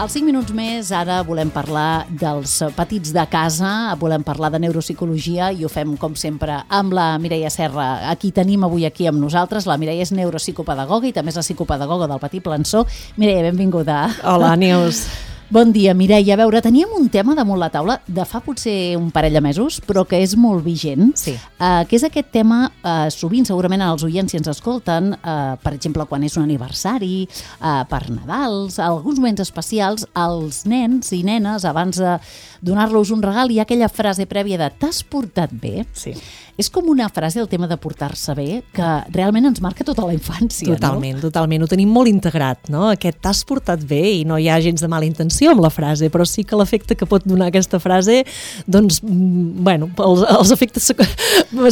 Als 5 minuts més, ara volem parlar dels petits de casa, volem parlar de neuropsicologia i ho fem, com sempre, amb la Mireia Serra. Aquí tenim avui aquí amb nosaltres. La Mireia és neuropsicopedagoga i també és la psicopedagoga del Petit Plançó. Mireia, benvinguda. Hola, Neus. Bon dia, Mireia. A veure, teníem un tema damunt la taula de fa potser un parell de mesos, però que és molt vigent, Sí. Que és aquest tema, sovint segurament els oients si ens escolten, per exemple, quan és un aniversari, per Nadals, alguns moments especials, els nens i nenes, abans de donar-los un regal, hi ha aquella frase prèvia de «t'has portat bé?» Sí. És com una frase, el tema de portar-se bé, que realment ens marca tota la infància, Totalment, no? Totalment. Ho tenim molt integrat, no? Aquest «t'has portat bé» i no hi ha gens de mala intenció amb la frase, però sí que l'efecte que pot donar aquesta frase, doncs, bueno, els efectes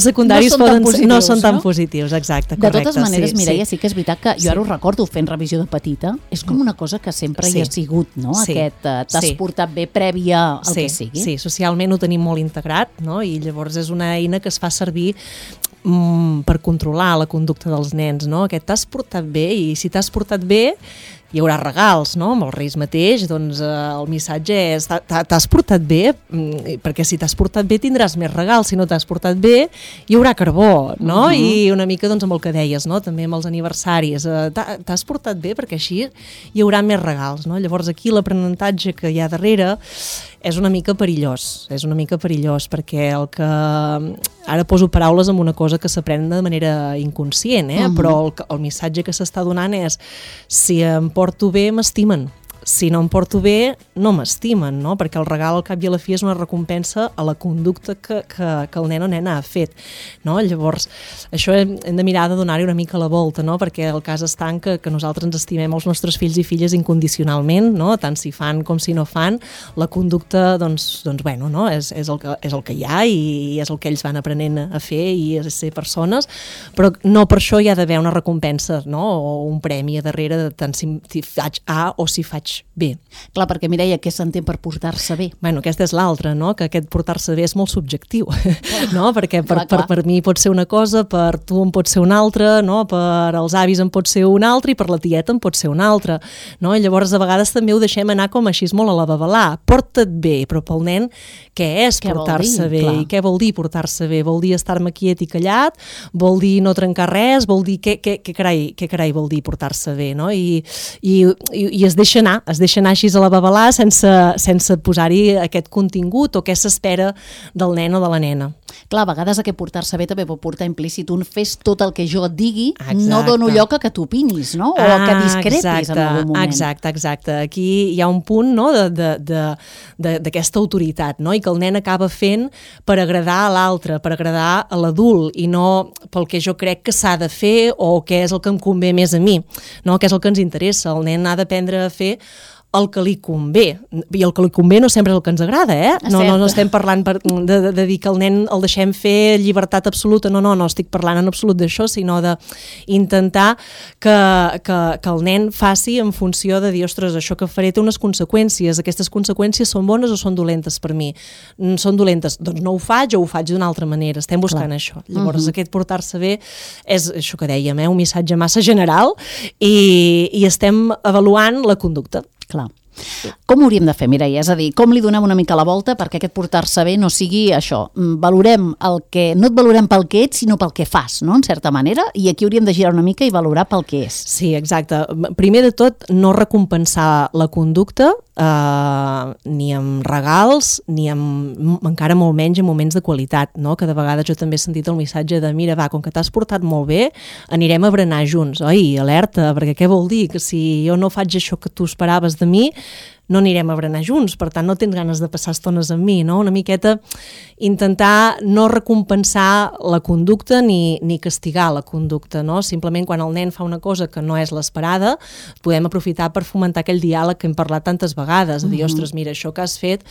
secundaris no són tan positius, exacte, correcte. De totes maneres, Mireia, sí que és veritat que jo ara ho recordo fent revisió de petita, és com una cosa que sempre hi ha sigut, no? Aquest «t'has portat bé» prèvia al que sigui. Sí, socialment ho tenim molt integrat, no? I llavors és una eina que es fa servir per controlar la conducta dels nens, no? Aquest «t'has portat bé» i si t'has portat bé hi haurà regals, no? Amb els Reis mateix, doncs el missatge és t'has portat bé, perquè si t'has portat bé tindràs més regals, si no t'has portat bé hi haurà carbó, no? I una mica doncs amb el que deies, no? També amb els aniversaris, t'has portat bé perquè així hi haurà més regals, no? Llavors aquí l'aprenentatge que hi ha darrere és una mica perillós, perquè el que... Ara poso paraules amb una cosa que s'aprèn de manera inconscient, però el missatge que s'està donant és si em porto bé, m'estimen. Si no em porto bé, no m'estimen, no? Perquè el regal al cap i a la fi és una recompensa a la conducta que el nen o nena ha fet, no? Llavors, això hem de mirar de donar-hi una mica la volta, no? Perquè el cas està en que nosaltres ens estimem els nostres fills i filles incondicionalment, no? Tant si fan com si no fan, la conducta, doncs bueno, no? És el que hi ha i és el que ells van aprenent a fer i a ser persones, però no per això hi ha d'haver una recompensa, no? O un premi a darrere de tant si faig A o si faig bé. Clar, perquè Mireia, què s'entén per portar-se bé? Bueno, aquesta és l'altra, no? Que aquest portar-se bé és molt subjectiu, no? Perquè per mi pot ser una cosa, per tu en pot ser una altra, no? Per els avis en pot ser una altra i per la tieta en pot ser una altra, no? I llavors a vegades també ho deixem anar com així molt a la babalà. Porta't bé, però pel nen què és portar-se bé? I què vol dir portar-se bé? Vol dir estar-me quiet i callat? Vol dir no trencar res? Vol dir què carai vol dir portar-se bé, no? I es deixa anar així a la babalà sense posar-hi aquest contingut o què s'espera del nen o de la nena. Clar, a vegades aquest portar-se bé també pot portar implícit un fes tot el que jo et digui, no dono lloc a que t'opinis, no? O a que discrepis en algun moment. Exacte. Aquí hi ha un punt, no? d'aquesta autoritat, no? I que el nen acaba fent per agradar a l'altre, per agradar a l'adult i no pel que jo crec que s'ha de fer o què és el que em convé més a mi, no? Què és el que ens interessa. El nen ha d'aprendre a fer el que li convé, i el que li convé no sempre és el que ens agrada, No estem parlant de dir que el nen el deixem fer llibertat absoluta, no estic parlant en absolut d'això, sinó d'intentar que el nen faci en funció de dir, ostres, això que faré té unes conseqüències, aquestes conseqüències són bones o són dolentes per mi? Són dolentes, doncs no ho faig o ho faig d'una altra manera, estem buscant això. Llavors aquest portar-se bé és això que dèiem, un missatge massa general i estem avaluant la conducta. Clar. Com ho hauríem de fer, Mireia? És a dir, com li donem una mica la volta perquè aquest portar-se bé no sigui això? Valorem no et valorem pel que ets, sinó pel que fas, no? En certa manera, i aquí hauríem de girar una mica i valorar pel que és. Sí, exacte. Primer de tot, no recompensar la conducta ni amb regals, ni encara molt menys en moments de qualitat, no? Que de vegades jo també he sentit el missatge de mira, va, com que t'has portat molt bé, anirem a berenar junts. Oi, alerta, perquè què vol dir? Que si jo no faig això que tu esperaves de mi, no anirem a berenar junts, per tant no tens ganes de passar estones amb mi, no? Una miqueta intentar no recompensar la conducta ni castigar la conducta, no? Simplement quan el nen fa una cosa que no és l'esperada, podem aprofitar per fomentar aquell diàleg que hem parlat tantes vegades, de dir, ostres, mira, això que has fet,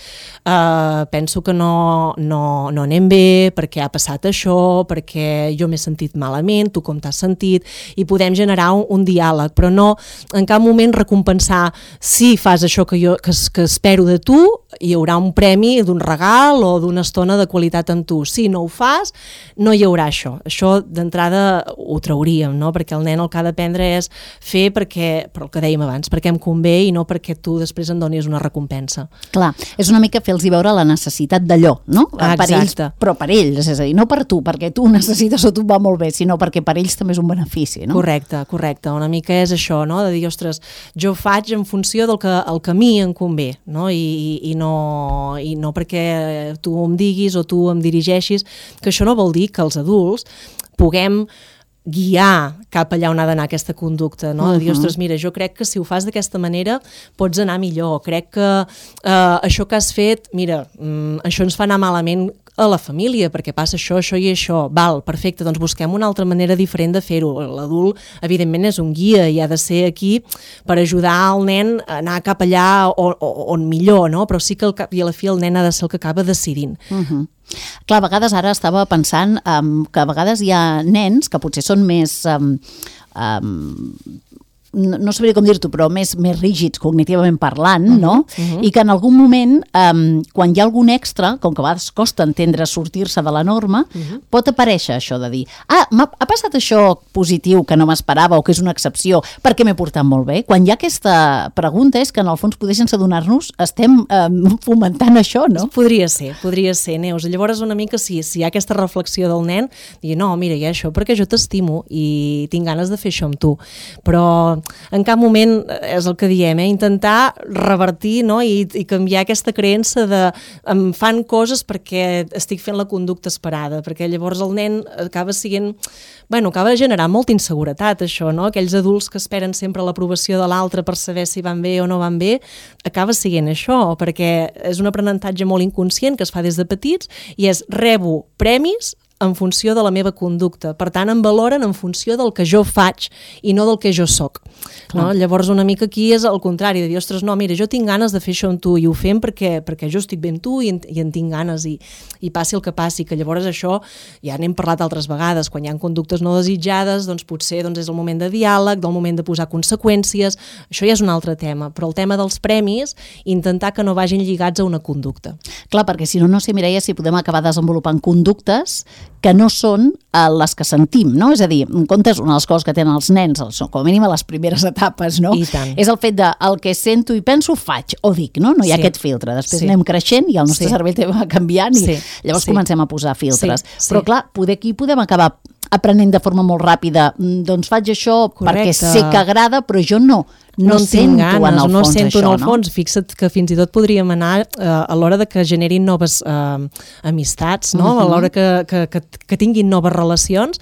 penso que no anem bé, perquè ha passat això, perquè jo m'he sentit malament, tu com t'has sentit, i podem generar un diàleg, però no en cap moment recompensar si fas això que que espero de tu, hi haurà un premi d'un regal o d'una estona de qualitat amb tu. Si no ho fas, no hi haurà això. Això d'entrada ho trauríem, no? Perquè el nen el que ha d'aprendre és fer perquè, per el que dèiem abans, perquè em convé i no perquè tu després em donis una recompensa. Clar, és una mica fer-los veure la necessitat d'allò, no? Per ells, però per ells, és a dir, no per tu, perquè tu necessites o tu va molt bé, sinó perquè per ells també és un benefici, no? Correcte. Una mica és això, no? De dir, ostres, jo faig en funció del que a mi em convé, no? I no perquè tu em diguis o tu em dirigeixis, que això no vol dir que els adults puguem guiar cap allà on ha d'anar aquesta conducta, no? De dir, ostres, mira, jo crec que si ho fas d'aquesta manera pots anar millor, crec que això que has fet, mira, això ens fa anar malament a la família, perquè passa això i això, val, perfecte, doncs busquem una altra manera diferent de fer-ho. L'adult, evidentment, és un guia i ha de ser aquí per ajudar el nen a anar cap allà on millor, no? Però sí que al cap i a la fi el nen ha de ser el que acaba decidint. Clar, a vegades ara estava pensant que a vegades hi ha nens que potser són més... no sabria com dir-t'ho, però més rígids cognitivament parlant, no? I que en algun moment, quan hi ha algun extra, com que a vegades costa entendre sortir-se de la norma, pot aparèixer això de dir, ha passat això positiu que no m'esperava o que és una excepció perquè m'he portat molt bé. Quan hi ha aquesta pregunta és que en el fons poder sense adonar-nos estem fomentant això, no? Podria ser, Neus. Llavors una mica si hi ha aquesta reflexió del nen, dir, no, mira, hi ha això perquè jo t'estimo i tinc ganes de fer això amb tu. Però en cap moment és el que diem, intentar revertir, no? I canviar aquesta creença de em fan coses perquè estic fent la conducta esperada, perquè llavors el nen acaba generant molta inseguretat, això, no? Aquells adults que esperen sempre l'aprovació de l'altre per saber si van bé o no van bé, acaba sent això, perquè és un aprenentatge molt inconscient que es fa des de petits i és rebo premis en funció de la meva conducta. Per tant, em valoren en funció del que jo faig i no del que jo soc. No? Llavors, una mica aquí és el contrari, de dir, ostres, no, mira, jo tinc ganes de fer això amb tu i ho fem perquè jo estic bé amb tu i en tinc ganes i passi el que passi, que llavors això, ja n'hem parlat altres vegades, quan hi ha conductes no desitjades, doncs potser és el moment de diàleg, del moment de posar conseqüències, això ja és un altre tema, però el tema dels premis, intentar que no vagin lligats a una conducta. Clar, perquè si no sé, Mireia, si podem acabar desenvolupant conductes que no són les que sentim, no? És a dir, en comptes, una de les coses que tenen els nens, com a mínim a les primeres etapes, no? És el fet de el que sento i penso faig o dic, no? No hi ha aquest filtre. Després anem creixent i el nostre cervell va canviant i llavors comencem a posar filtres. Però clar, aquí podem acabar aprenent de forma molt ràpida, doncs faig això perquè sé que agrada, però jo no sento en el fons això, no? En el fons. Fixa't que fins i tot podríem anar a l'hora de que generin noves amistats, no? A l'hora que tinguin noves relacions,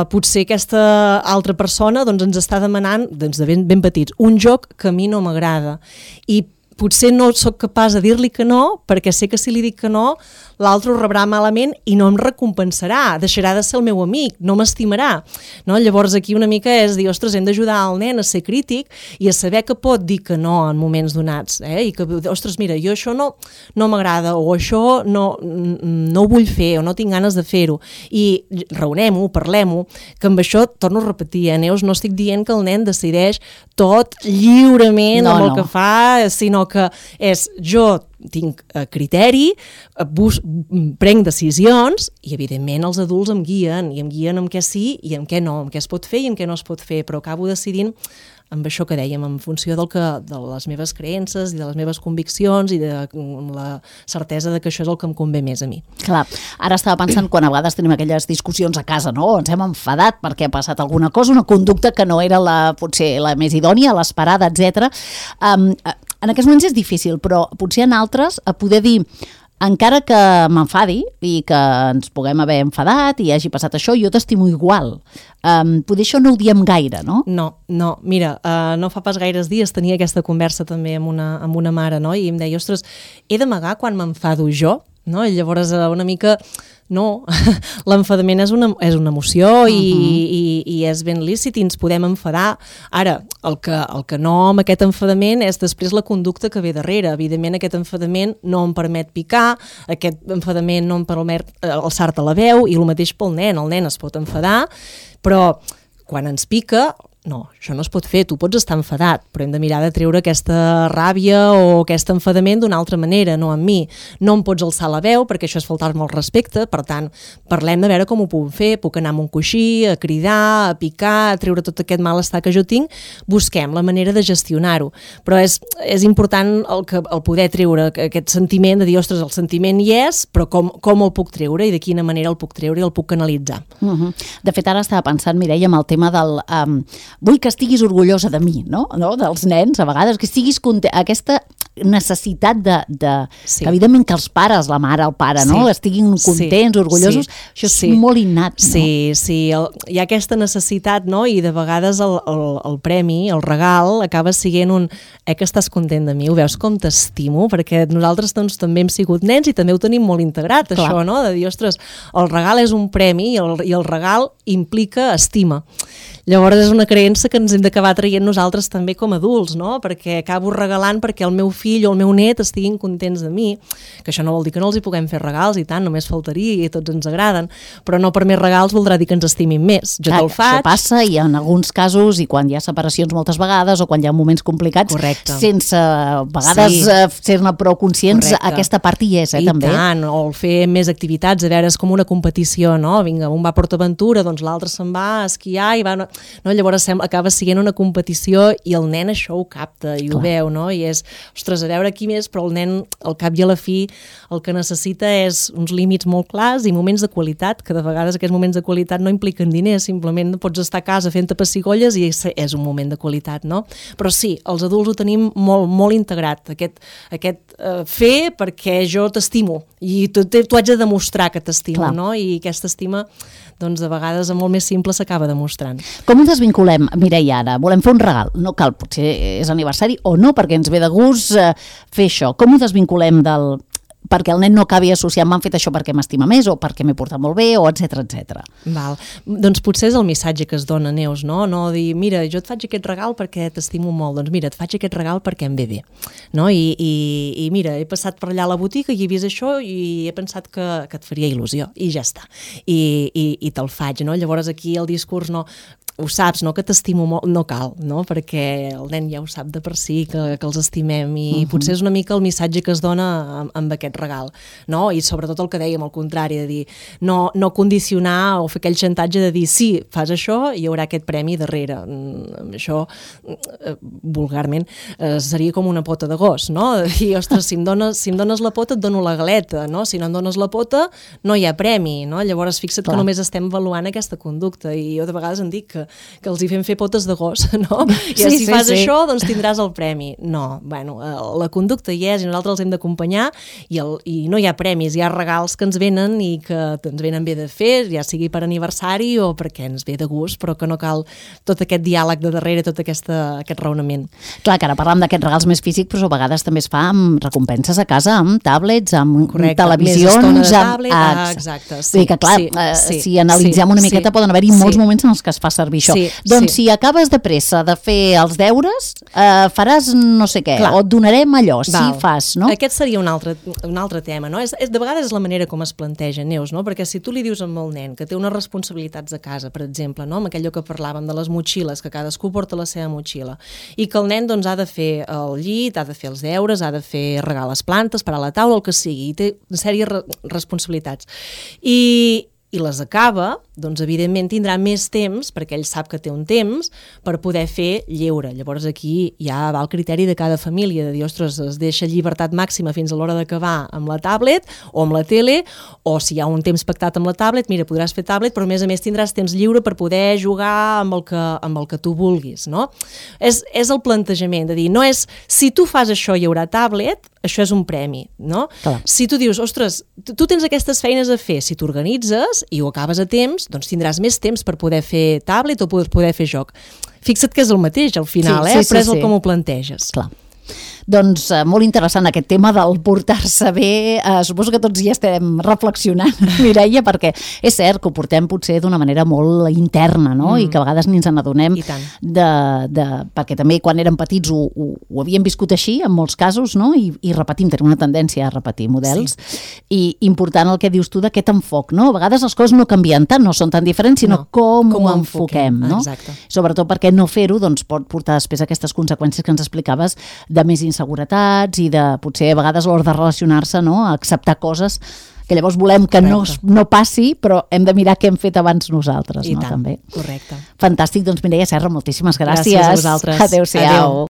potser aquesta altra persona doncs, ens està demanant, doncs, de ben petits, un joc que a mi no m'agrada i potser no sóc capaç de dir-li que no, perquè sé que si li dic que no, l'altre ho rebrà malament i no em recompensarà, deixarà de ser el meu amic, no m'estimarà. No? Llavors aquí una mica és dir, ostres, hem d'ajudar el nen a ser crític i a saber que pot dir que no en moments donats, i que, ostres, mira, jo això no m'agrada o això no ho vull fer o no tinc ganes de fer-ho. I raonem-ho, parlem-ho, que amb això, torno a repetir, Neus, no estic dient que el nen decideix tot lliurement amb el que fa, sinó que és jo tinc criteri, prenc decisions i evidentment els adults em guien amb què sí i amb què no, amb què es pot fer i amb què no es pot fer, però acabo decidint amb això que dèiem, en funció de les meves creences i de les meves conviccions i de la certesa de que això és el que em convé més a mi. Clar, ara estava pensant quan a vegades tenim aquelles discussions a casa, no? Ens hem enfadat perquè ha passat alguna cosa, una conducta que no era potser la més idònia, l'esperada, etc. En aquests moments és difícil, però potser en altres a poder dir encara que m'enfadi i que ens puguem haver enfadat i hagi passat això, jo t'estimo igual. Poder això no ho diem gaire, no? No, mira, no fa pas gaires dies tenia aquesta conversa també amb una mare, no? I em deia, ostres, he d'amagar quan m'enfado jo? No? I llavors una mica... No, l'enfadament és una emoció i és ben lícit i ens podem enfadar. Ara, el que no amb aquest enfadament és després la conducta que ve darrere. Evidentment aquest enfadament no em permet picar, aquest enfadament no em permet alçar-te la veu i el mateix pel nen. El nen es pot enfadar, però quan ens pica No, això no es pot fer, tu pots estar enfadat, però hem de mirar de treure aquesta ràbia o aquest enfadament d'una altra manera, no amb mi. No em pots alçar la veu, perquè això és faltar-me el respecte, per tant, parlem de veure com ho puc fer, puc anar amb un coixí, a cridar, a picar, a treure tot aquest malestar que jo tinc, busquem la manera de gestionar-ho. Però és important el poder treure aquest sentiment, de dir, ostres, el sentiment hi és, però com el puc treure i de quina manera el puc treure i el puc canalitzar. De fet, ara estava pensant, Mireia, amb el tema del... vull que estiguis orgullosa de mi, no? Dels nens, a vegades, que estiguis aquesta necessitat sí. que evidentment que els pares, la mare, el pare, sí. no? Estiguin contents, orgullosos, això és molt innat, no? Sí, hi ha aquesta necessitat, no? I de vegades el premi, el regal, acaba sent que estàs content de mi, ho veus com t'estimo, perquè nosaltres doncs, també hem sigut nens i també ho tenim molt integrat, clar. Això, no? De dir, ostres, el regal és un premi i el regal implica estima. Llavors és una creença que ens hem d'acabar traient nosaltres també com a adults, no? Perquè acabo regalant perquè el meu fill o el meu net estiguin contents de mi, que això no vol dir que no els hi puguem fer regals i tant, només faltaria i tots ens agraden, però no per més regals voldrà dir que ens estimin més. Jo te'l faig. Això passa i en alguns casos, i quan hi ha separacions moltes vegades o quan hi ha moments complicats, correcte. Sense a vegades ser-ne prou conscients, correcte. Aquesta part hi és, també. I tant, o fer més activitats, a veure, és com una competició, no? Vinga, un va a PortAventura, doncs l'altre se'n va a esquiar i va... No? Llavors acaba sent una competició i el nen això ho capta i ho veu, no? I és, ostres, a veure qui més, però el nen al cap i a la fi el que necessita és uns límits molt clars i moments de qualitat, que de vegades aquests moments de qualitat no impliquen diners, simplement pots estar a casa fent-te pessigolles i és un moment de qualitat, no? Però sí, els adults ho tenim molt, molt integrat, aquest fer perquè jo t'estimo i tu haig de demostrar que t'estimo, no? I aquesta estima doncs de vegades molt més simple s'acaba demostrant. Com ho desvinculem, Mireia, ara? Volem fer un regal, no cal, potser és aniversari o no, perquè ens ve de gust fer això. Com ho desvinculem perquè el nen no acabi associant m'han fet això perquè m'estima més o perquè m'he portat molt bé o etcètera. Val. Doncs potser és el missatge que es dona, Neus, no? No dir, mira, jo et faig aquest regal perquè t'estimo molt, doncs mira, et faig aquest regal perquè em ve bé, no? I mira, he passat per allà a la botiga i he vist això i he pensat que et faria il·lusió i ja està. I te'l faig, no? Llavors aquí el discurs no... Ho saps, no? Que t'estimo molt, no cal, no? Perquè el nen ja ho sap de per si, que els estimem i potser és una mica el missatge que es dona amb aquest regal, no? I sobretot el que dèiem, al contrari, de dir no condicionar o fer aquell xantatge de dir sí, fas això i hi haurà aquest premi darrere. Això, vulgarment, seria com una pota de gos, no? De dir, ostres, si em dones la pota et dono la galeta, no? Si no em dones la pota no hi ha premi, no? Llavors fixa't que només estem avaluant aquesta conducta i jo de vegades em dic que els hi fem fer potes de gos, no? I si fas això, doncs tindràs el premi. No, bueno, la conducta hi és i nosaltres els hem d'acompanyar i no hi ha premis, hi ha regals que ens venen i que ens venen bé de fer, ja sigui per aniversari o perquè ens ve de gust, però que no cal tot aquest diàleg de darrere, tot aquest raonament. Clar, que ara parlem d'aquests regals més físics, però a vegades també es fa amb recompenses a casa, amb tablets, amb televisions... Més estona de tablet, exacte. Sí, que clar, si analitzem una miqueta poden haver-hi molts moments en els que es fa servir això. Doncs si acabes de pressa de fer els deures, faràs no sé què, o et donarem allò, si fas, no? Aquest seria un altre tema, no? De vegades és la manera com es planteja, Neus, no? Perquè si tu li dius amb el nen que té unes responsabilitats a casa, per exemple, no? Amb aquello que parlàvem de les motxilles, que cadascú porta la seva motxilla, i que el nen doncs ha de fer el llit, ha de fer els deures, ha de fer regar les plantes, parar la taula, el que sigui, i té una sèrie de responsabilitats. I les acaba, doncs evidentment tindrà més temps, perquè ell sap que té un temps, per poder fer lleure. Llavors aquí ja va el criteri de cada família, de dir, ostres, es deixa llibertat màxima fins a l'hora d'acabar amb la tablet o amb la tele, o si hi ha un temps pactat amb la tablet, mira, podràs fer tablet, però a més tindràs temps lliure per poder jugar amb el que tu vulguis, no? És el plantejament, de dir, no és, si tu fas això hi haurà tablet, això és un premi, no? Clar. Si tu dius, ostres, tu tens aquestes feines a fer, si t'organitzes i ho acabes a temps, doncs tindràs més temps per poder fer tablet o poder fer joc. Fixa't que és el mateix al final, però és com ho planteges. Clar. Doncs molt interessant aquest tema del portar-se bé. Suposo que tots ja estem reflexionant, Mireia, perquè és cert que ho portem potser d'una manera molt interna, no? I que a vegades ni ens n'adonem perquè també quan érem petits ho havíem viscut així, en molts casos, no? I repetim, tenim una tendència a repetir models. I important el que dius tu d'aquest enfoc, no? A vegades les coses no canvien tant, no són tan diferents, sinó com ho enfoquem, no? Exacte. Sobretot perquè no fer-ho doncs, pot portar després aquestes conseqüències que ens explicaves de més inseguretats i de potser a vegades l'hora de relacionar-se, no? Acceptar coses que llavors volem que no passi, però hem de mirar què hem fet abans nosaltres, no? També. Correcte. Fantàstic, doncs Mireia Serra, moltíssimes gràcies. Gràcies a vosaltres. Adéu-siau.